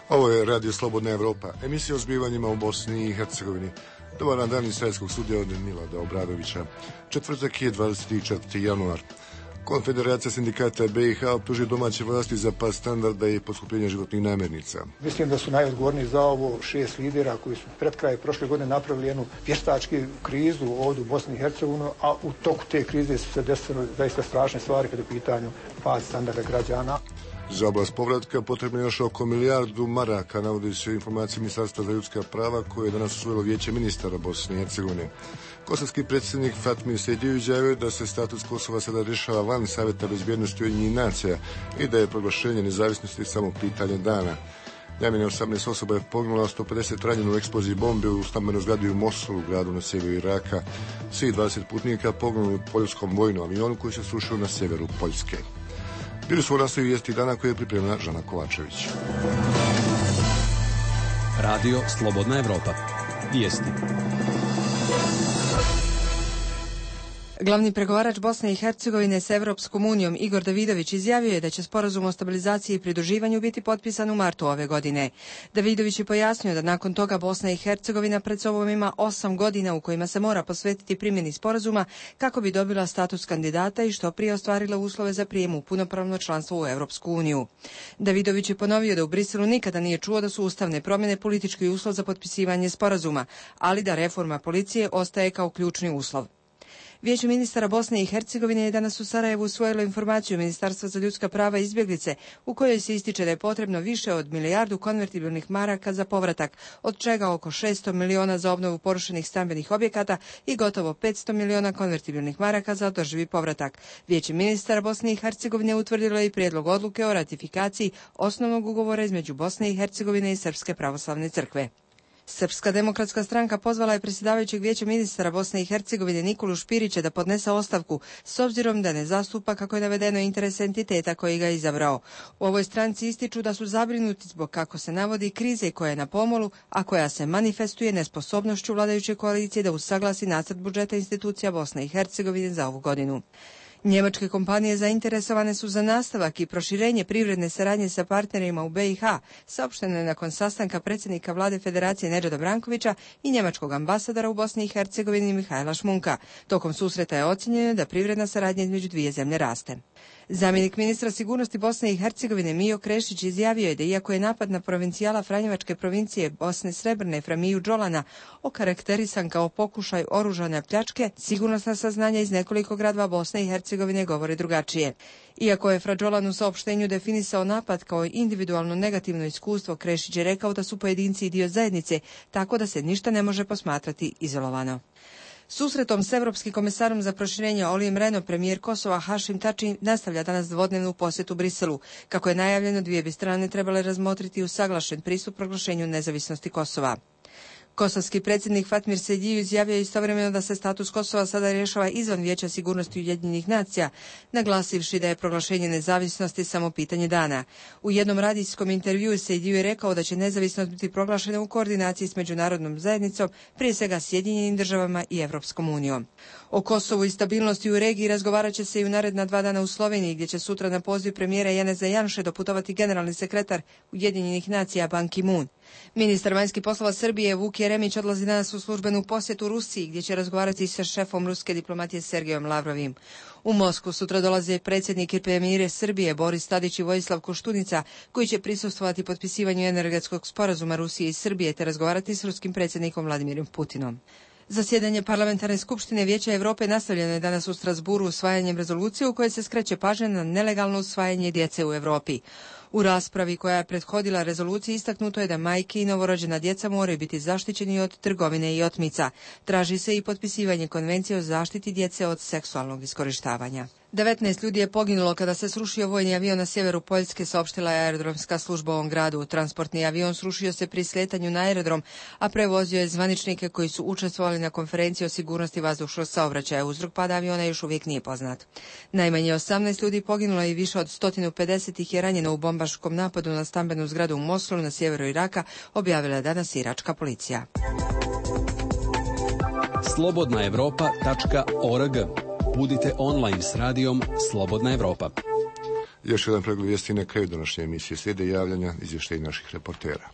Ovo je Radio Slobodna Evropa, emisija o zbivanjima u Bosni i Hercegovini. Dobar dan iz Srpskog studija od Milada Obradovića. Četvrtak je 24. januar. Konfederacija sindikata BiH optuži domaće vlasti za pad standarda i poskupljenje životnih namirnica. Mislim da su najodgovorniji za ovo 6 lidera koji su pred kraj prošle godine napravili jednu vještačku krizu ovdje u Bosni i Hercegovini, a u toku te krize su se desile zaista strašne stvari kada je u pitanju pad standarda građana. Za oblast povratka potrebno je još oko milijardu maraka, navodi se informacije Ministarstva za ljudska prava koje je danas usvojilo Vijeće ministara Bosne i Hercegovine. Kosovski predsjednik Fatmir Sejdiu izjavio da se status Kosova sada rješava van Savjeta bezbjednosti Ujedinjenih nacija i da je proglašenje nezavisnosti samo pitanje dana. Najmanje 18 osoba je poginulo, 150 ranjeno u eksploziji bombe u stambenoj zgradi u Mosulu, gradu na sjeveru Iraka. Svih 20 putnika poginulo u poljskom vojnom avionu koji se srušio na sjeveru Poljske. Bili su u nastavi vijesti dana koje je pripremila Žana Kovačević. Radio Slobodna Evropa. Vijesti. Glavni pregovarač Bosne i Hercegovine s Evropskom unijom Igor Davidović izjavio je da će sporazum o stabilizaciji i pridruživanju biti potpisan u martu ove godine. Davidović je pojasnio da nakon toga Bosna i Hercegovina pred sobom ima 8 godina u kojima se mora posvetiti primjeni sporazuma kako bi dobila status kandidata i što prije ostvarila uslove za prijem u punopravno članstvo u Evropsku uniju. Davidović je ponovio da u Briselu nikada nije čuo da su ustavne promjene politički uslov za potpisivanje sporazuma, ali da reforma policije ostaje kao ključni uslov. Vijeće ministara Bosne i Hercegovine je danas u Sarajevu usvojilo informaciju Ministarstva za ljudska prava i izbjeglice u kojoj se ističe da je potrebno više od milijardu konvertibilnih maraka za povratak, od čega oko 600 miliona za obnovu porušenih stambenih objekata i gotovo 500 miliona konvertibilnih maraka za održivi povratak. Vijeće ministara Bosne i Hercegovine utvrdilo je i prijedlog odluke o ratifikaciji osnovnog ugovora između Bosne i Hercegovine i Srpske pravoslavne crkve. Srpska demokratska stranka pozvala je predsjedavajućeg Vijeća ministara Bosne i Hercegovine Nikolu Špirića da podnese ostavku s obzirom da ne zastupa, kako je navedeno, interes entiteta koji ga je izabrao. U ovoj stranci ističu da su zabrinuti zbog, kako se navodi, krize koja je na pomolu, a koja se manifestuje nesposobnošću vladajuće koalicije da usaglasi nacrt budžeta institucija Bosne i Hercegovine za ovu godinu. Njemačke kompanije zainteresovane su za nastavak i proširenje privredne saradnje sa partnerima u BiH, saopšteno je nakon sastanka predsjednika vlade Federacije Nedžada Brankovića i njemačkog ambasadora u Bosni i Hercegovini Mihajla Šmunka. Tokom susreta je ocjenjeno da privredna saradnja između dvije zemlje raste. Zamjenik ministra sigurnosti Bosne i Hercegovine Mijo Krešić izjavio je da iako je napad na provincijala Franjevačke provincije Bosne Srebrne Framiju Đolana okarakterisan kao pokušaj oružane pljačke, sigurnosna saznanja iz nekoliko gradova Bosne i Hercegovine govore drugačije. Iako je Fra Đolan u saopštenju definisao napad kao individualno negativno iskustvo, Krešić je rekao da su pojedinci i dio zajednice, tako da se ništa ne može posmatrati izolovano. Susretom s Evropskim komisarom za proširenje Olijem Rehnom premijer Kosova Hašim Tači nastavlja danas dvodnevnu posjetu Briselu. Kako je najavljeno, dvije bi strane trebale razmotriti usaglašen pristup proglašenju nezavisnosti Kosova. Kosovski predsjednik Fatmir Sejdiu izjavio je istovremeno da se status Kosova sada rješava izvan Vijeća sigurnosti Ujedinjenih nacija, naglasivši da je proglašenje nezavisnosti samo pitanje dana. U jednom radijskom intervjuu Sejdiu je rekao da će nezavisnost biti proglašena u koordinaciji s međunarodnom zajednicom, prije svega Sjedinjenim državama i Evropskom unijom. O Kosovu i stabilnosti u regiji razgovarat će se i u naredna 2 dana u Sloveniji, gdje će sutra na poziv premijera Janeza Janše doputovati generalni sekretar Ujedinjenih nacija Ban Ki-moon. Ministar vanjskih poslova Srbije Vuk Jeremić odlazi danas u službenu posjetu Rusiji, gdje će razgovarati sa šefom ruske diplomatije Sergejom Lavrovim. U Moskvu sutra dolaze predsjednik i premijer Srbije Boris Tadić i Vojislav Koštunica, koji će prisustvovati potpisivanju energetskog sporazuma Rusije i Srbije te razgovarati s ruskim predsjednikom Vladimirom Putinom. Zasjedanje Parlamentarne skupštine Vijeća Europe nastavljeno je danas u Strasburu usvajanjem rezolucije u kojoj se skreće pažnja na nelegalno usvajanje djece u Europi. U raspravi koja je prethodila rezoluciji istaknuto je da majke i novorođena djeca moraju biti zaštićeni od trgovine i otmica. Traži se i potpisivanje konvencije o zaštiti djece od seksualnog iskorištavanja. 19 ljudi je poginulo kada se srušio vojni avion na sjeveru Poljske, saopštila je aerodromska služba u ovom gradu. Transportni avion srušio se pri sletanju na aerodrom, a prevozio je zvaničnike koji su učestvovali na konferenciji o sigurnosti vazdušnog saobraćaja. Uzrok pada aviona još uvijek nije poznat. Najmanje 18 ljudi poginulo i više od 150 ih je ranjeno u bombaškom napadu na stambenu zgradu u Mosulu na sjeveru Iraka, objavila je danas iračka policija. slobodnaevropa.org. Budite online s radijom Slobodna Evropa. Još jedan pregled vijesti na kraju današnje emisije. Slijede javljanja izvještaja naših reportera.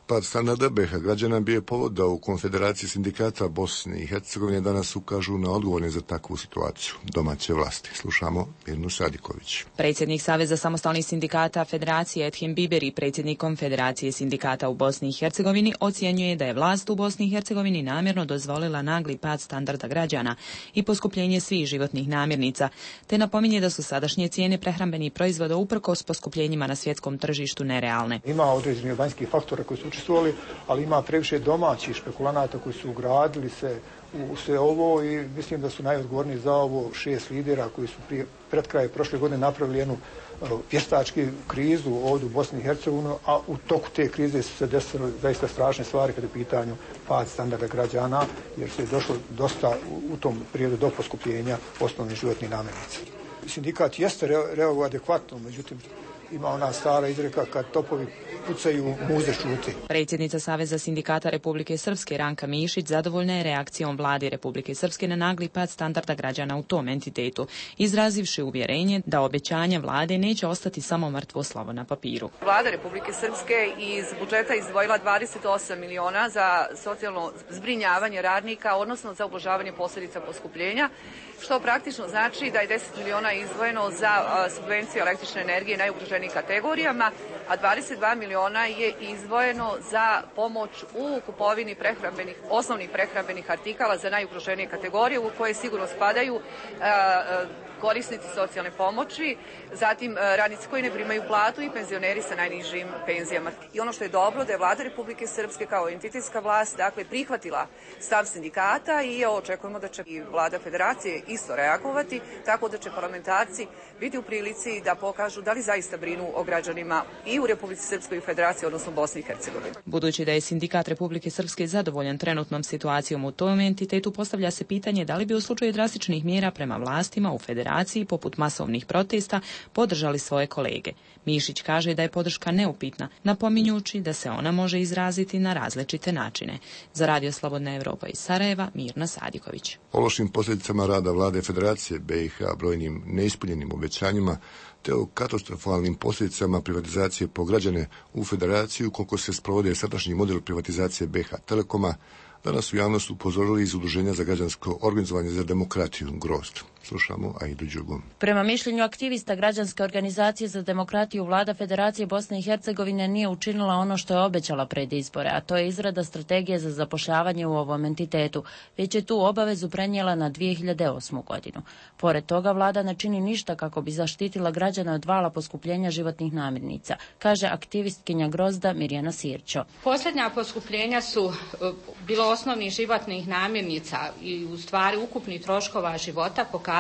Pad standarda BiH građana bio je povod da u Konfederaciji sindikata Bosne i Hercegovine danas ukažu na odgovorne za takvu situaciju domaće vlasti. Slušamo Mirnu Sadiković. Predsjednik Saveza samostalnih sindikata Federacije Edhem Biberi, predsjednik Konfederacije sindikata u Bosni i Hercegovini, ocjenjuje da je vlast u Bosni i Hercegovini namjerno dozvolila nagli pad standarda građana i poskupljenje svih životnih namirnica, te napominje da su sadašnje cijene prehrambenih proizvoda uprkos poskupljenjima na svjetskom tržištu nerealne. Ima određeni vanjski faktora koji su učestvovali, ali ima previše domaćih špekulanata koji su ugradili se u sve ovo i mislim da su najodgovorniji za ovo 6 lidera koji su pred kraj prošle godine napravili jednu vještačku krizu ovdje u Bosni i Hercegovini, a u toku te krize su se desile zaista strašne stvari kada je u pitanju pad standarda građana, jer se je došlo dosta u tom periodu do poskupljenja osnovnih životnih namirnica. Sindikat jeste reagovao adekvatno, međutim ima ona stara izreka kad topovi pucaju, muze šuti. Predsjednica Saveza sindikata Republike Srpske Ranka Mišić zadovoljna je reakcijom vlade Republike Srpske na nagli pad standarda građana u tom entitetu, izrazivši uvjerenje da obećanja vlade neće ostati samo mrtvo slovo na papiru. Vlada Republike Srpske iz budžeta izdvojila 28 miliona za socijalno zbrinjavanje radnika, odnosno za ublažavanje posljedica poskupljenja, što praktično znači da je 10 miliona izdvojeno za subvenciju električne energije najugroženijim kategorijama, a 22 miliona je izdvojeno za pomoć u kupovini osnovnih prehrambenih artikala za najugroženije kategorije, u koje sigurno spadaju korisnici socijalne pomoći, zatim radnici koji ne primaju platu i penzioneri sa najnižim penzijama. I ono što je dobro da je Vlada Republike Srpske kao entitetska vlast prihvatila stav sindikata i očekujemo da će i Vlada Federacije isto reagovati, tako da će parlamentarci biti u prilici da pokažu da li zaista brinu o građanima i u Republici Srpskoj i Federaciji, odnosno Bosni i Hercegovini. Budući da je sindikat Republike Srpske zadovoljan trenutnom situacijom u tom entitetu, postavlja se pitanje da li bi u slučaju drastičnih mjera prema vlastima u Federaciji poput masovnih protesta podržali svoje kolege. Mišić kaže da je podrška neupitna, napominjući da se ona može izraziti na različite načine. Za Radio Slobodna Evropa iz Sarajeva, Mirna Sadiković. O lošim posljedicama rada vlade Federacije BiH, brojnim neispunjenim obećanjima te o katastrofalnim posljedicama privatizacije po građane u Federaciju koliko se sprovode sadašnji model privatizacije BiH Telekoma, danas u javnost upozorili iz Udruženja za građansko organizovanje za demokratiju Grozd. Slušamo Aidu Đugom. Prema mišljenju aktivista građanske organizacije za demokratiju, vlada Federacije Bosne i Hercegovine nije učinila ono što je obećala pred izbore, a to je izrada strategije za zapošljavanje u ovom entitetu, već je tu obavezu prenijela na 2008. godinu. Pored toga, vlada ne čini ništa kako bi zaštitila građane od vala poskupljenja životnih namirnica, kaže aktivistkinja Grozda Mirjana Sirćo. Posljednja poskupljenja su bilo osnovnih životnih namirnica i u stvari ukupnih troškova života pokazala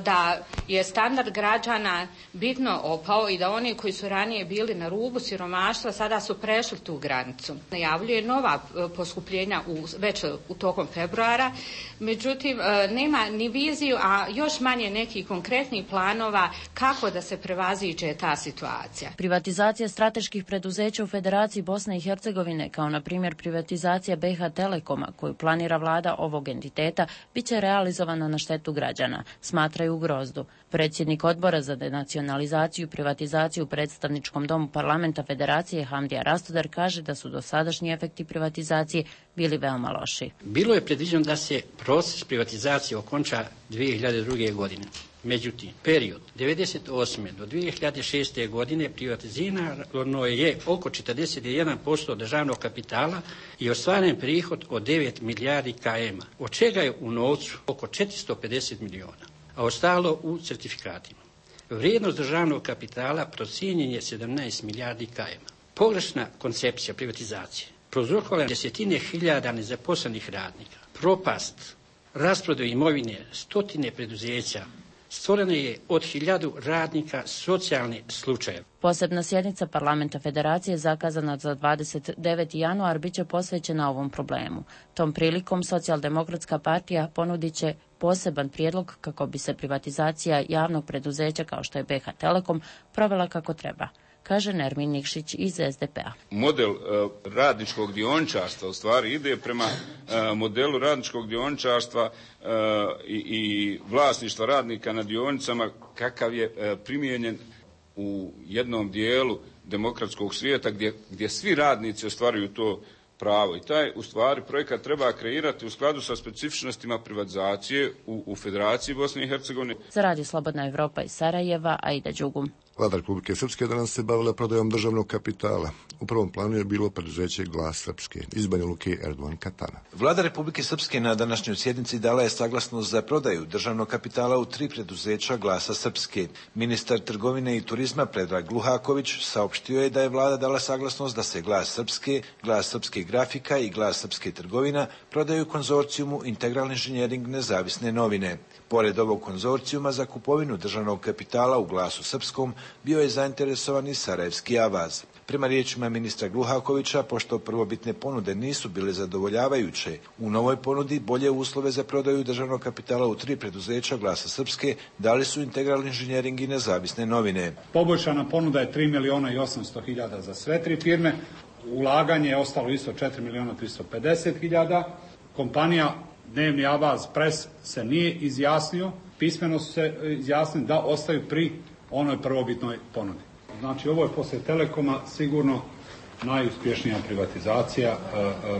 da je standard građana bitno opao i da oni koji su ranije bili na rubu siromaštva sada su prešli tu granicu. Najavljuje nova poskupljenja već u tokom februara, međutim nema ni viziju, a još manje nekih konkretnih planova kako da se prevaziđe ta situacija. Privatizacija strateških preduzeća u Federaciji Bosne i Hercegovine, kao na primjer privatizacija BiH Telekoma, koju planira vlada ovog entiteta, bit će realizovana na štetu građana, smatraju u Grozdu. Predsjednik odbora za denacionalizaciju i privatizaciju u predstavničkom domu parlamenta Federacije Hamdija Rastudar kaže da su dosadašnji efekti privatizacije bili veoma loši. Bilo je predviđeno da se proces privatizacije okonča 2002. godine. Međutim, period 1998. do 2006. godine privatizirano je oko 41% državnog kapitala i ostvaren prihod od 9 milijardi km, od čega je u novcu oko 450 miliona, a ostalo u certifikatima. Vrijednost državnog kapitala procijenjen je 17 milijardi km. Pogrešna koncepcija privatizacije prouzrokovala desetine hiljada nezaposlenih radnika, propast, rasprodaju imovine, stotine preduzeća, stvorena je od 1000 radnika socijalni slučajev. Posebna sjednica parlamenta Federacije zakazana za 29. januar bit će posvećena ovom problemu. Tom prilikom Socijaldemokratska partija ponudit će poseban prijedlog kako bi se privatizacija javnog preduzeća kao što je BiH Telekom provela kako treba. kaže Nermin Nikšić iz SDP-a. Model radničkog dioničarstva u stvari ide prema modelu radničkog dioničarstva i vlasništva radnika na dionicama kakav je primijenjen u jednom dijelu demokratskog svijeta gdje svi radnici ostvaruju to pravo. I taj, u stvari, projekat treba kreirati u skladu sa specifičnostima privatizacije u Federaciji Bosne i Hercegovine. Za Radio Slobodna Evropa iz Sarajeva, Aida Đugum. Vlada Republike Srpske danas se bavila prodajom državnog kapitala. U prvom planu je bilo preduzeće Glas Srpske iz Banja Luke Erdogan Katana. Vlada Republike Srpske na današnjoj sjednici dala je saglasnost za prodaju državnog kapitala u 3 preduzeća Glasa Srpske. Ministar trgovine i turizma Predrag Luhaković saopštio je da je vlada dala saglasnost da se Glas Srpske, Glas Srpske grafika i Glas Srpske trgovina prodaju konzorcijumu Integral inženjering Nezavisne novine. Pored ovog konzorcijuma za kupovinu državnog kapitala u Glasu Srpskom bio je zainteresovan i Sarajevski Avaz. Prema riječima ministra Gluhakovića, pošto prvobitne ponude nisu bile zadovoljavajuće, u novoj ponudi bolje uslove za prodaju državnog kapitala u 3 preduzeća Glasa Srpske dali su Integral inženjering i Nezavisne novine. Poboljšana ponuda je 3.800.000 za sve 3 firme. Ulaganje je ostalo isto 4.350.000. Kompanija Dnevni Avaz Pres se nije izjasnio, pismeno su se izjasnili da ostaju pri onoj prvobitnoj ponudi. Znači, ovo je poslije Telekoma sigurno najuspješnija privatizacija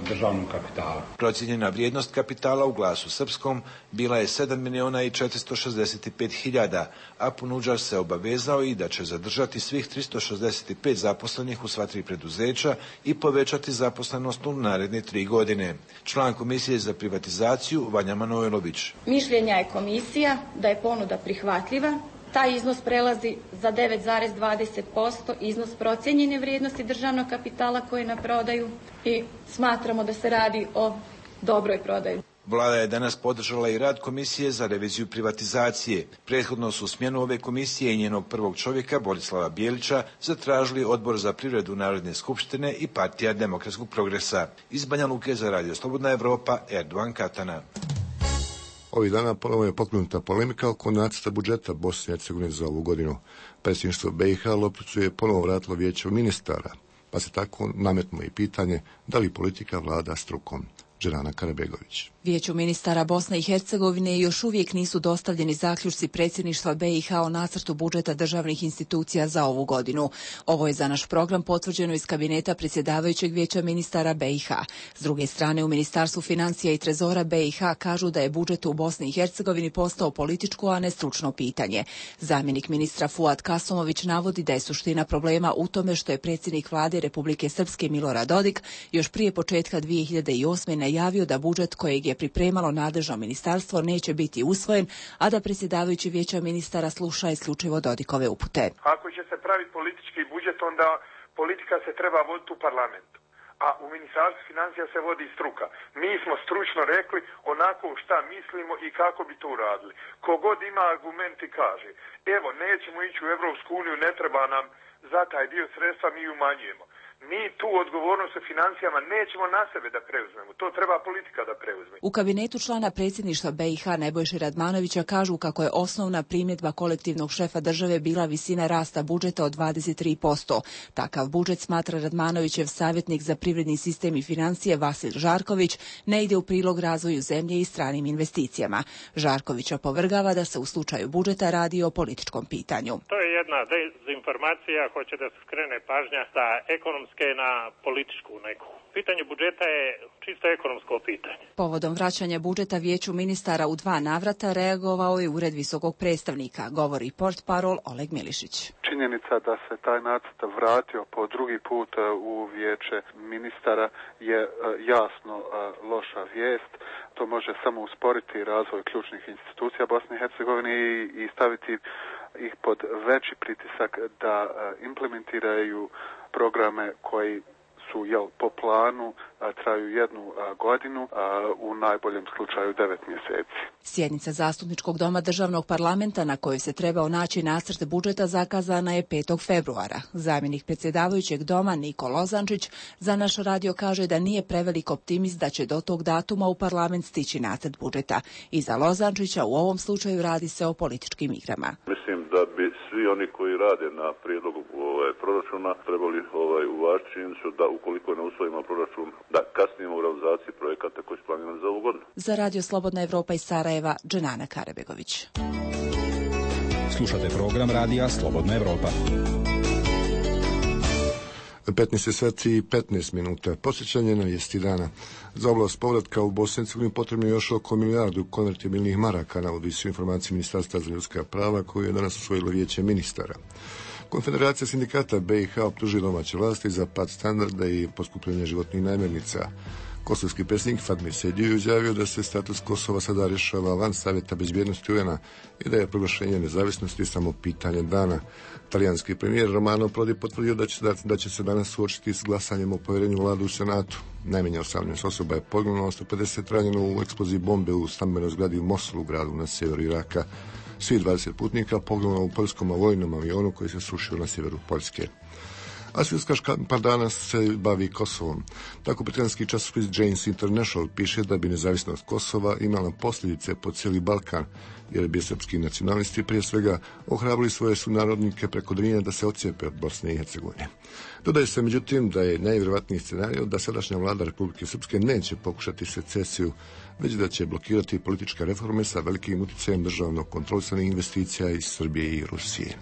državnog kapitala. Procijenjena vrijednost kapitala u Glasu Srpskom bila je 7.465.000, a ponuđač se obavezao i da će zadržati svih 365 zaposlenih u sva 3 preduzeća i povećati zaposlenost u naredne 3 godine. Član Komisije za privatizaciju Vanja Manojlović. Mišljenja je komisija da je ponuda prihvatljiva. Taj iznos prelazi za 9,20% iznos procijenjene vrijednosti državnog kapitala koji je na prodaju i smatramo da se radi o dobroj prodaji. Vlada je danas podržala i rad Komisije za reviziju privatizacije. Prethodno su smjenu ove komisije i njenog prvog čovjeka, Borislava Bijelića, zatražili Odbor za privredu Narodne skupštine i Partija demokratskog progresa. Iz Banja Luke za Radio Slobodna Evropa, Erdogan Katana. Ovih dana ponovo je pokrenuta polemika oko nacrta budžeta Bosne i Hercegovine za ovu godinu. Predsjedništvo BiH Lopticu je ponovo vratilo vijeće ministara, pa se tako nametnulo i pitanje da li politika vlada strukom. Džerana Karabegović. Vijeću ministara Bosne i Hercegovine još uvijek nisu dostavljeni zaključci predsjedništva BiH o nacrtu budžeta državnih institucija za ovu godinu. Ovo je za naš program potvrđeno iz kabineta predsjedavajućeg vijeća ministara BiH. S druge strane, u Ministarstvu financija i trezora BiH kažu da je budžet u Bosni i Hercegovini postao političko, a ne stručno pitanje. Zamjenik ministra Fuad Kasomović navodi da je suština problema u tome što je predsjednik vlade Republike Srpske Milorad Dodik još prije početka 2008. najavio da budžet kojeg je pripremalo nadležno ministarstvo neće biti usvojen, a da predsjedavajući vijeća ministara sluša isključivo Dodikove upute. Ako će se praviti politički budžet, onda politika se treba voditi u parlamentu. A u Ministarstvu financija se vodi struka. Mi smo stručno rekli onako šta mislimo i kako bi to uradili. Kogod ima argumenti kaže, evo nećemo ići u Evropsku uniju, ne treba nam za taj dio sredstva, mi umanjujemo. Mi tu odgovornost u financijama nećemo na sebe da preuzmemo. To treba politika da preuzme. U kabinetu člana predsjedništva BiH Nebojše Radmanovića kažu kako je osnovna primjedba kolektivnog šefa države bila visina rasta budžeta od 23%. Takav budžet, smatra Radmanovićev savjetnik za privredni sistem i financije Vasil Žarković, ne ide u prilog razvoju zemlje i stranim investicijama. Žarković opovrgava da se u slučaju budžeta radi o političkom pitanju. To je jedna dezinformacija, hoće da se skrene pažnja sa ekonomske na političku neku. Pitanje budžeta je čisto ekonomsko pitanje. Povodom vraćanja budžeta vijeću ministara u 2 navrata reagovao je Ured visokog predstavnika, govori portparol Oleg Milišić. Činjenica da se taj nacrt vratio po drugi put u vijeće ministara je jasno loša vijest. To može samo usporiti razvoj ključnih institucija Bosne i Hercegovine i staviti ih pod veći pritisak da implementiraju programe koji su po planu, traju 1 godinu, u najboljem slučaju 9 mjeseci. Sjednica Zastupničkog doma državnog parlamenta na kojoj se trebao naći nacrt budžeta zakazana je 5. februara. Zamjenik predsjedavajućeg doma Niko Lozančić za naš radio kaže da nije prevelik optimist da će do tog datuma u parlament stići nacrt budžeta. I za Lozančića u ovom slučaju radi se o političkim igrama. Mislim da bi svi oni koji rade na prijedlogu proračuna trebali uvažiti činjenicu da ukoliko ne usvojimo proračun, da kasnijemo u realizaciji projekata koji su planirani za ovu godinu. Za Radio Slobodna Evropa iz Sarajeva, Dženana Karebegović. Slušate program Radija Slobodna Evropa. 15 sati i 15 minuta. Posjećanje na vijesti dana. Za oblast povratka u Bosni i Hercegovini potrebno je još oko milijardu konvertibilnih maraka, navodi se informacije Ministarstva za ljudska prava koju je danas usvojilo vijeće ministara. Konfederacija sindikata BiH optužuje domaće vlasti za pad standarda i poskupljenje životnih namirnica. Kosovski predsjednik Fatmir Sejdić izjavio da se status Kosova sada rješava van Savjeta bezbjednosti UN-a i da je proglašenje nezavisnosti samo pitanje dana. Talijanski premijer Romano Prodi potvrdio da će se danas suočiti s glasanjem o povjerenju vladu u Senatu. Najmanje 18 osoba je poginulo, 150 ranjeno u eksploziji bombe u stambenoj zgradi u Mosulu, gradu na sjeveru Iraka. Svi 20 putnika poginulo u poljskom vojnom avionu koji se srušio na sjeveru Poljske. A svjetska škampa danas se bavi Kosovom. Tako britanski časopis Jane's International piše da bi nezavisnost Kosova imala posljedice po cijeli Balkan, jer bi srpski nacionalisti prije svega ohrabrili svoje sunarodnike preko Drine da se odcijepe od Bosne i Hercegovine. Dodaje se međutim da je najvjerojatniji scenario da sadašnja vlada Republike Srpske neće pokušati secesiju, već da će blokirati političke reforme sa velikim utjecajem državno kontrolisanih investicija iz Srbije i Rusije.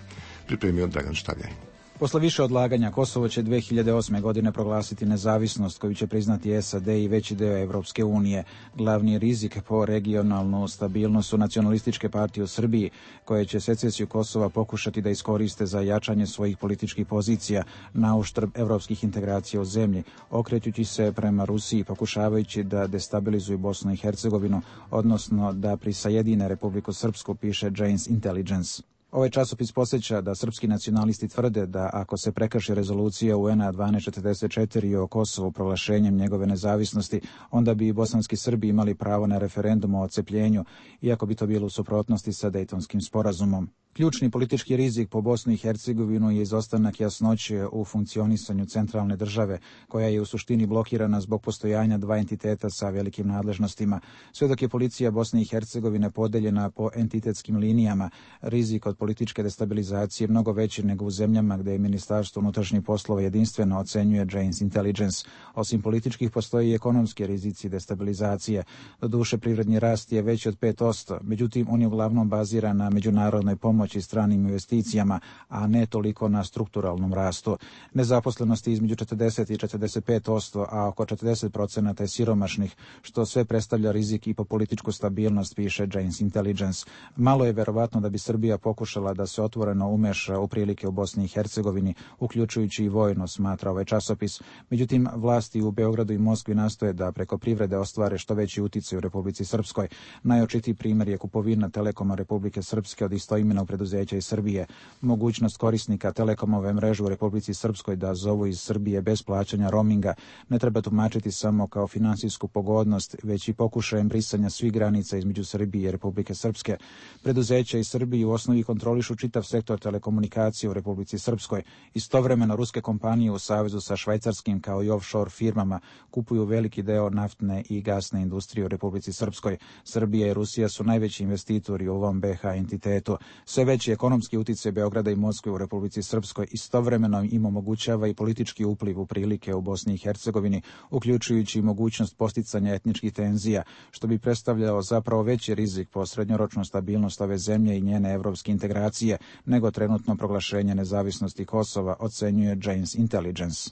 Pripremio Dragan Štavljaj. Posle više odlaganja, Kosovo će 2008. godine proglasiti nezavisnost koju će priznati SAD i veći deo Evropske unije. Glavni rizik po regionalnu stabilnost su nacionalističke partije u Srbiji, koje će secesiju Kosova pokušati da iskoriste za jačanje svojih političkih pozicija na uštrb evropskih integracija u zemlji, okrećući se prema Rusiji, pokušavajući da destabilizuju Bosnu i Hercegovinu, odnosno da prisajedine Republiku Srpsku, piše Jane's Intelligence. Ovaj časopis podsjeća da srpski nacionalisti tvrde da ako se prekrši rezolucija UN-a 1244 o Kosovu proglašenjem njegove nezavisnosti, onda bi i bosanski Srbi imali pravo na referendum o odcepljenju, iako bi to bilo u suprotnosti sa Dejtonskim sporazumom. Ključni politički rizik po Bosnu i Hercegovinu je izostanak jasnoće u funkcionisanju centralne države, koja je u suštini blokirana zbog postojanja dva entiteta sa velikim nadležnostima. Sve dok je policija Bosne i Hercegovine podeljena po entitetskim linijama, rizik od političke destabilizacije mnogo veći nego u zemljama gdje je Ministarstvo unutrašnjih poslova jedinstveno, ocenjuje Jane's Intelligence. Osim političkih postoji i ekonomski rizici destabilizacije. Doduše, privredni rast je veći od 5%, međutim on je uglavnom baziran na međunarodnoj pomoći i stranim investicijama, a ne toliko na strukturalnom rastu. Nezaposlenost je između 40 i 45%, a oko 40% je siromašnih, što sve predstavlja rizik i po političku stabilnost, piše Jane's Intelligence. Malo je verovatno da bi Srbija pokušala da se otvoreno umeša u prilike u Bosni i Hercegovini, uključujući i vojno, smatra ovaj časopis. Međutim, vlasti u Beogradu i Moskvi nastoje da preko privrede ostvare što veći uticaj u Republici Srpskoj. Najočitiji primjer je kupovina Telekoma Republike Srpske od istoimenog preduzeća iz Srbije. Mogućnost korisnika Telekomove mreže u Republici Srpskoj da zovu iz Srbije bez plaćanja roaminga ne treba tumačiti samo kao finansijsku pogodnost, već i pokušajem brisanja svih granica između Srbije i Republike Srpske. Preduzeća iz Srbije u osnovi kontrolišu čitav sektor telekomunikacije u Republici Srpskoj. Istovremeno, ruske kompanije u savezu sa švajcarskim kao i offshore firmama kupuju veliki deo naftne i gasne industrije u Republici Srpskoj. Srbija i Rusija su najveći investitori u ovom BiH entitetu. Sve veći ekonomski utjecaj Beograda i Moskve u Republici Srpskoj istovremeno im omogućava i politički upliv u prilike u Bosni i Hercegovini, uključujući i mogućnost posticanja etničkih tenzija, što bi predstavljalo zapravo veći rizik po srednjoročnu stabilnost ove zemlje i njene evropske integracije nego trenutno proglašenje nezavisnosti Kosova, ocenjuje Jane's Intelligence.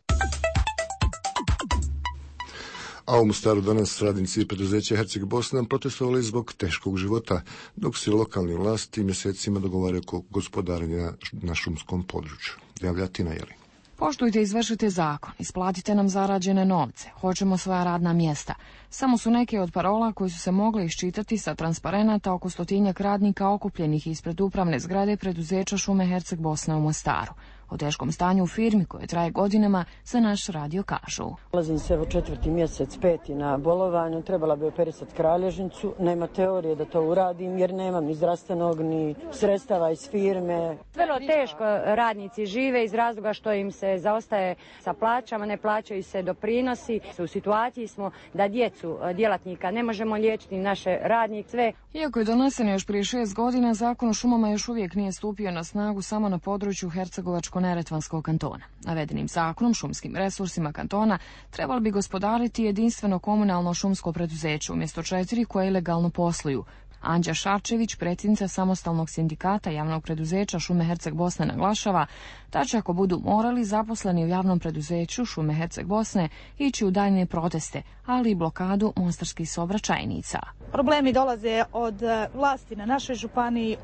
A u Mostaru danas radnici preduzeća Herceg Bosna protestovali zbog teškog života, dok se lokalni vlasti mjesecima dogovaraju oko gospodarenja na šumskom području. Javlja Tina Jeli. Poštujte i izvršite zakon, isplatite nam zarađene novce, hoćemo svoja radna mjesta. Samo su neke od parola koji su se mogle iščitati sa transparenata oko 100-tinjak radnika okupljenih ispred upravne zgrade preduzeća Šume Herceg Bosna u Mostaru. O teškom stanju u firmi koje traje godinama za naš radio kažu. Ulazim se evo 4. mjesec, 5. na bolovanju, trebala bi operisati kralježnicu, nema teorije da to uradim jer nemam ni zdravstvenog ni sredstava iz firme. Vrlo teško radnici žive iz razloga što im se zaostaje sa plaćama, ne plaćaju se doprinosi. U situaciji smo da djecu djelatnika ne možemo liječiti, naše radnike sve. Iako je donesen još prije 6 godina, Zakon o šumama još uvijek nije stupio na snagu samo na području Hercegovačko-neretvanskog kantona. Navedenim zakonom šumskim resursima kantona trebalo bi gospodariti jedinstveno komunalno šumsko preduzeće umjesto 4 koje ilegalno posluju. Anđa Šarčević, predsjednica samostalnog sindikata javnog preduzeća Šume Herceg Bosne, naglašava da će, ako budu morali, zaposleni u javnom preduzeću Šume Herceg Bosne ići u daljnje proteste, ali i blokadu mostarskih saobraćajnica. Problemi dolaze od vlasti na našoj županiji.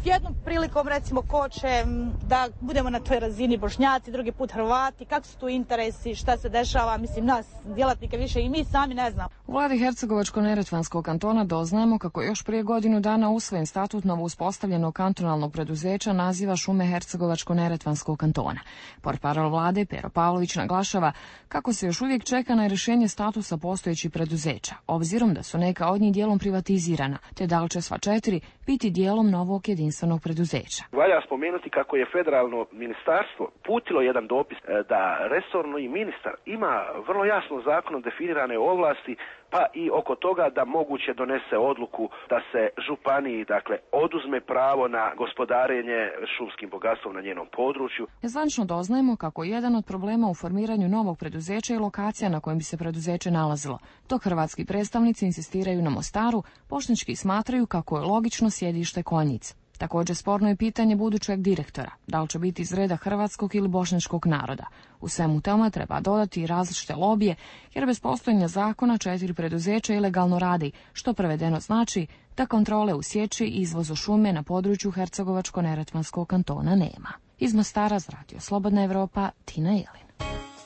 Jednom prilikom recimo koče da budemo na toj razini Bošnjaci, drugi put Hrvati, kako su tu interesi, šta se dešava, mislim nas djelatnike više i mi sami ne znamo. U vladi Hercegovačko-neretvanskog kantona doznajemo kako još prije godinu dana usvojen statut novo uspostavljenog kantonalnog preduzeća naziva Šume Hercegovačko-neretvanskog kantona. Portparol vlade Pero Pavlović naglašava kako se još uvijek čeka na rješenje statusa postojećih preduzeća, obzirom da su neka od njih dijelom privatizirana, te da li će sva 4 biti dijelom novog jedinstvenog preduzeća. Valja spomenuti kako je federalno ministarstvo putilo jedan dopis da resorni ministar ima vrlo jasno zakonom definirane ovlasti, pa i oko toga da moguće donese odluku da se županiji, dakle, oduzme pravo na gospodarenje šumskim bogatstvom na njenom području. Nezvanično doznajemo kako jedan od problema u formiranju novog preduzeća je lokacija na kojem bi se preduzeće nalazilo. Dok hrvatski predstavnici insistiraju na Mostaru, bošnjački smatraju kako je logično sjedište Konjic. Također sporno je pitanje budućeg direktora, da li će biti iz reda hrvatskog ili bošnjačkog naroda. U svemu tome treba dodati i različite lobije, jer bez postojanja zakona 4 preduzeća ilegalno radi, što prevedeno znači da kontrole u sječi i izvozu šume na području Hercegovačko-neretvanskog kantona nema. Iz Mostara za Radio Slobodna Evropa, Tina Jelin.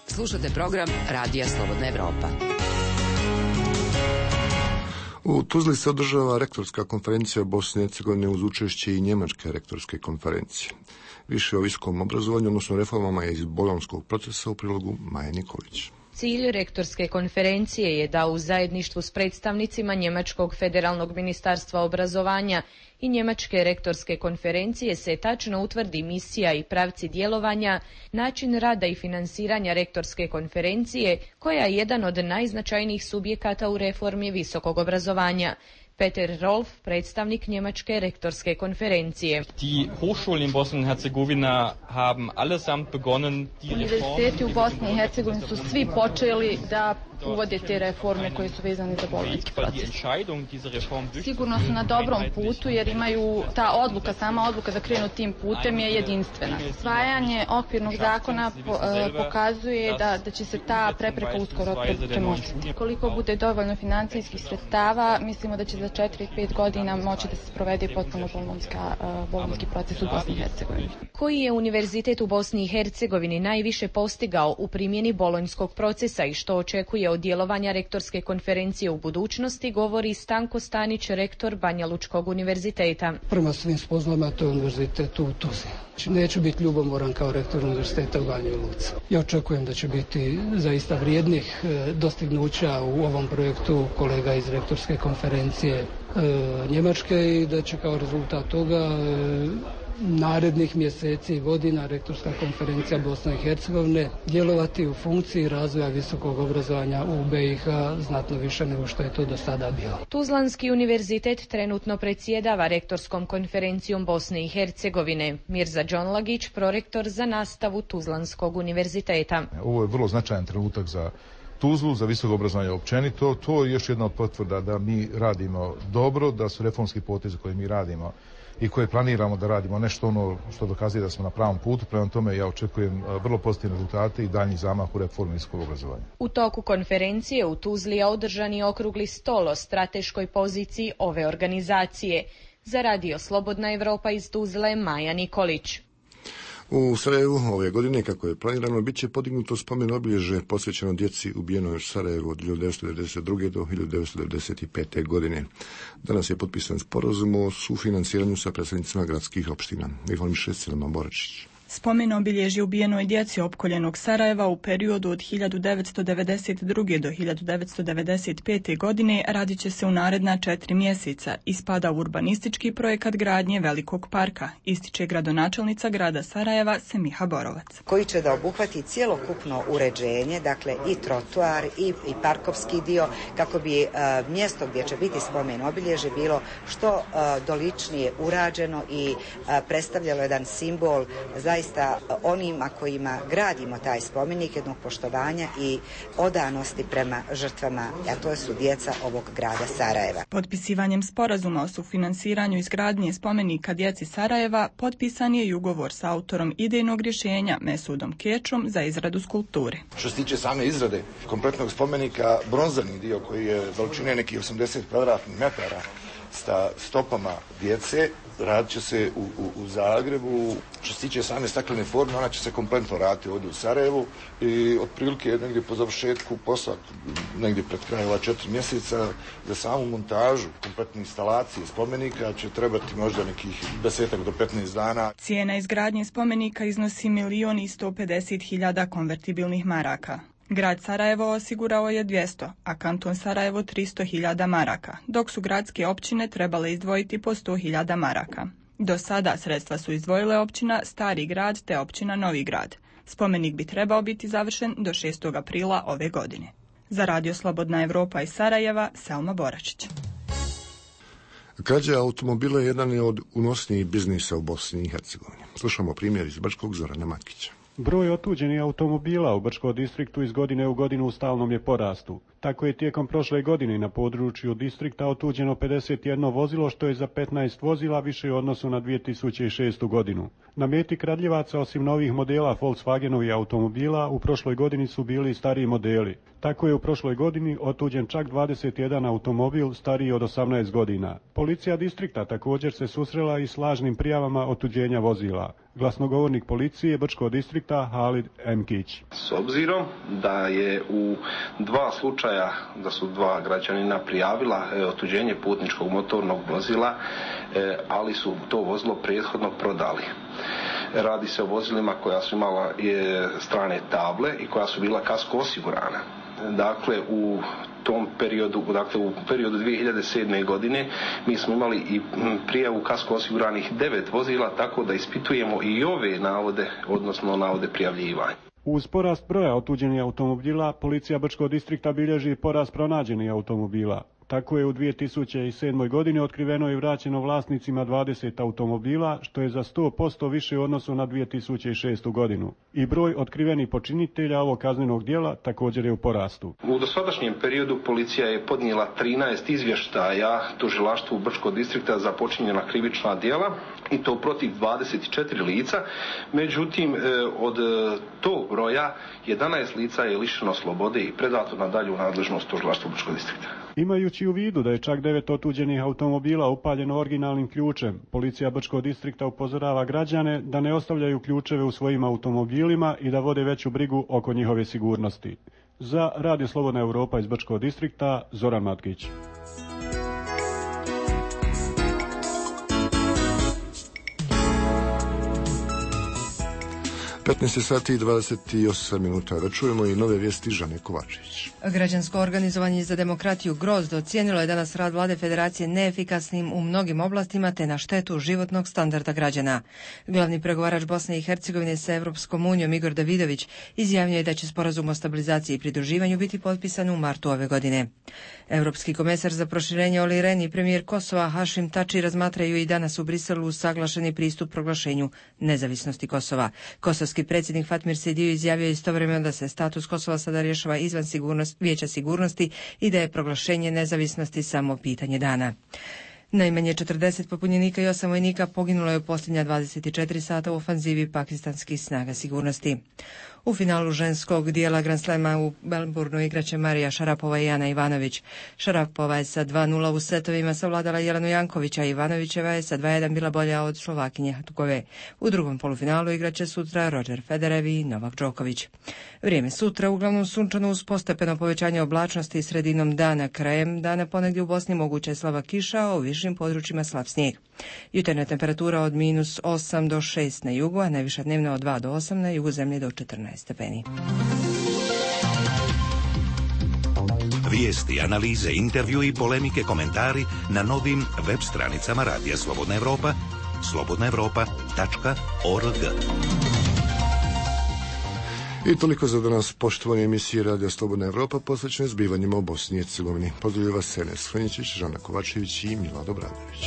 Slušate program Radija Slobodna Evropa. U Tuzli se održava rektorska konferencija Bosne i Hercegovine uz učešće i Njemačke rektorske konferencije. Više o visokom obrazovanju, odnosno reformama iz bolonjskog procesa u prilogu Maje Nikolić. Cilj rektorske konferencije je da u zajedništvu s predstavnicima Njemačkog federalnog ministarstva obrazovanja i Njemačke rektorske konferencije se tačno utvrdi misija i pravci djelovanja, način rada i finansiranja rektorske konferencije, koja je jedan od najznačajnijih subjekata u reformi visokog obrazovanja. Peter Rolf, predstavnik Njemačke rektorske konferencije. Die Hochschulen in Bosnien-Herzegovina haben allesamt begonnen, die Univerziteti u Bosni i Hercegovini su svi počeli da uvode te reforme koje su vezane za bolonjski proces. Sigurno su na dobrom putu jer imaju sama odluka da krenu tim putem je jedinstvena. Usvajanje okvirnog zakona pokazuje da će se ta prepreka uskoro premostiti. Koliko bude dovoljno financijskih sredstava, mislimo da će za 4-5 godina moći da se sprovede potpuno bolonjski proces u Bosni i Hercegovini. Koji je univerzitet u Bosni i Hercegovini najviše postigao u primjeni bolonjskog procesa i što očekuje od djelovanja rektorske konferencije u budućnosti, govori Stanko Stanić, rektor Banja Lučkog univerziteta. Prema svim spoznajama to je univerzitet u Tuzli. Neću biti ljubomoran kao rektor univerziteta u Banji Luci. Ja očekujem da će biti zaista vrijednih dostignuća u ovom projektu kolega iz rektorske konferencije Njemačke i da će kao rezultat toga narednih mjeseci i godina rektorska konferencija Bosne i Hercegovine djelovati u funkciji razvoja visokog obrazovanja u BiH znatno više nego što je to do sada bilo. Tuzlanski univerzitet trenutno predsjedava rektorskom konferencijom Bosne i Hercegovine. Mirza Đonlagić, prorektor za nastavu Tuzlanskog univerziteta. Ovo je vrlo značajan trenutak za Tuzlu, za visoko obrazovanje općenito. To je još jedna od potvrda da mi radimo dobro, da su reformski potezi koje mi radimo i koje planiramo da radimo nešto ono što dokazuje da smo na pravom putu. Prema tome ja očekujem vrlo pozitivne rezultate i daljnji zamah u reformi visokog obrazovanja. U toku konferencije u Tuzli je održan i okrugli stol o strateškoj poziciji ove organizacije. Za Radio Slobodna Evropa iz Tuzle, Maja Nikolić. U Sarajevu ove godine, kako je planirano, bit će podignuto spomen obilježje posvećeno djeci ubijenoj u Sarajevu od 1992. do 1995. godine. Danas je potpisan sporazum o sufinansiranju sa predstavnicima gradskih opština. Informiše Silema Boračić. Spomen obilježje ubijenoj djeci opkoljenog Sarajeva u periodu od 1992. do 1995. godine radit će se u naredna 4 mjeseca i spada u urbanistički projekat gradnje Velikog parka, ističe gradonačelnica grada Sarajeva Semiha Borovac. Koji će da obuhvati cjelokupno uređenje, dakle i trotuar i parkovski dio, kako bi mjesto gdje će biti spomen obilježje bilo što doličnije urađeno i predstavljalo jedan simbol zaista onima kojima gradimo taj spomenik, jednog poštovanja i odanosti prema žrtvama, a to su djeca ovog grada Sarajeva. Potpisivanjem sporazuma o sufinansiranju izgradnje spomenika djeci Sarajeva potpisan je i ugovor sa autorom idejnog rješenja Mesudom Kečom za izradu skulpture. Što se tiče same izrade kompletnog spomenika, bronzani dio koji je veličine nekih 80 kvadratnih metara sa stopama djece, radit će se u Zagrebu. Što se tiče same staklene forme, ona će se kompletno raditi ovdje u Sarajevu i otprilike negdje po završetku posla, negdje pred krajem ova 4 mjeseca, za samu montažu kompletne instalacije spomenika će trebati možda nekih 10 do 15 dana. Cijena izgradnje spomenika iznosi 1.150.000 konvertibilnih maraka. Grad Sarajevo osigurao je 200, a kanton Sarajevo 300.000 maraka, dok su gradske općine trebale izdvojiti po 100.000 maraka. Do sada sredstva su izdvojile općina Stari grad te općina Novi grad. Spomenik bi trebao biti završen do 6. aprila ove godine. Za Radio Slobodna Evropa iz Sarajeva, Selma Boračić. Krađa automobila je jedan od unosnijih biznisa u Bosni i Hercegovini. Slušamo primjer iz Brčkog, Zorana Matkića. Broj otuđenih automobila u Brčkom distriktu iz godine u godinu u stalnom je porastu. Tako je tijekom prošle godine na području distrikta otuđeno 51 vozilo, što je za 15 vozila više u odnosu na 2006. godinu. Na meti kradljivaca, osim novih modela Volkswagenovih automobila, u prošloj godini su bili i stariji modeli. Tako je u prošloj godini otuđen čak 21 automobil stariji od 18 godina. Policija distrikta također se susrela i s lažnim prijavama otuđenja vozila. Glasnogovornik policije Brčkog distrikta Halid Emkić. S obzirom da je u 2 slučaja, da su 2 građanina prijavila otuđenje putničkog motornog vozila, ali su to vozilo prethodno prodali. Radi se o vozilima koja su imala strane table i koja su bila kasko osigurana. Dakle, u tom periodu, u periodu 2007. godine mi smo imali i prijavu kasko osiguranih 9 vozila, tako da ispitujemo i ove navode, odnosno navode prijavljivanja. Uz porast broja otuđenih automobila, policija Brčkog distrikta bilježi porast pronađenih automobila. Tako je u 2007. godini otkriveno i vraćeno vlasnicima 20 automobila, što je za 100% više u odnosu na 2006. godinu. I broj otkrivenih počinitelja ovog kaznenog djela također je u porastu. U dosadašnjem periodu policija je podnijela 13 izvještaja tužilaštvu Brčkog distrikta za počinjena krivična djela, i to protiv 24 lica. Međutim, od tog broja 11 lica je lišeno slobode i predato na dalju nadležnost tužilaštva Brčkog distrikta. Imajući u vidu da je čak 9 otuđenih automobila upaljeno originalnim ključem, policija Brčkog distrikta upozorava građane da ne ostavljaju ključeve u svojim automobilima i da vode veću brigu oko njihove sigurnosti. Za Radio Slobodna Evropa iz Brčkog distrikta, Zoran Matkić. 15 sati i 28 minuta. Da čujemo i nove vijesti Žane Kovačević. Građansko organizovanje za demokratiju Grozd ocijenilo je danas rad vlade federacije neefikasnim u mnogim oblastima te na štetu životnog standarda građana. Glavni pregovarač Bosne i Hercegovine sa Europskom unijom Igor Davidović izjavio je da će sporazum o stabilizaciji i pridruživanju biti potpisan u martu ove godine. Europski komesar za proširenje Olli Rehn i premijer Kosova Hašim Tači razmatraju i danas u Briselu usaglašeni pristup proglašenju nezavisnosti Kosova. Kosovski predsjednik Fatmir Sejdiu izjavio istovremeno da se status Kosova sada rješava izvan Vijeća sigurnosti i da je proglašenje nezavisnosti samo pitanje dana. Najmanje 40 pobunjenika i 8 vojnika poginulo je u posljednja 24 sata u ofanzivi pakistanskih snaga sigurnosti. U finalu ženskog dijela Grand Slama u Melbourneu igraće Marija Šarapova i Ana Ivanović. Šarapova je sa 2:0 u setovima savladala Jelenu Jankovića, a Ivanovićeva je sa 2:1 bila bolja od Slovakinje Hatukove. U drugom polufinalu igraće sutra Roger Federer i Novak Đoković. Vrijeme sutra uglavnom sunčano uz postepeno povećanje oblačnosti sredinom dana. Krajem dana ponegdje u Bosni moguća je slaba kiša, a u višim južnim područjima slab snijeg. Jutarnja temperatura od -8 do 6 na jugu, a najviša dnevna od 2 do 8 na jugu zemlje do 14 stepeni. Vijesti, analize, intervju i polemike, komentari na novim web stranicama Radija Slobodna Evropa, slobodnaevropa.org. I toliko za danas, poštovani emisije Radija Slobodna Evropa posvećene zbivanjima u Bosni i Hercegovini. Pozdravljaju vas Enes Franjičić, Žana Kovačević i Milado Bradović.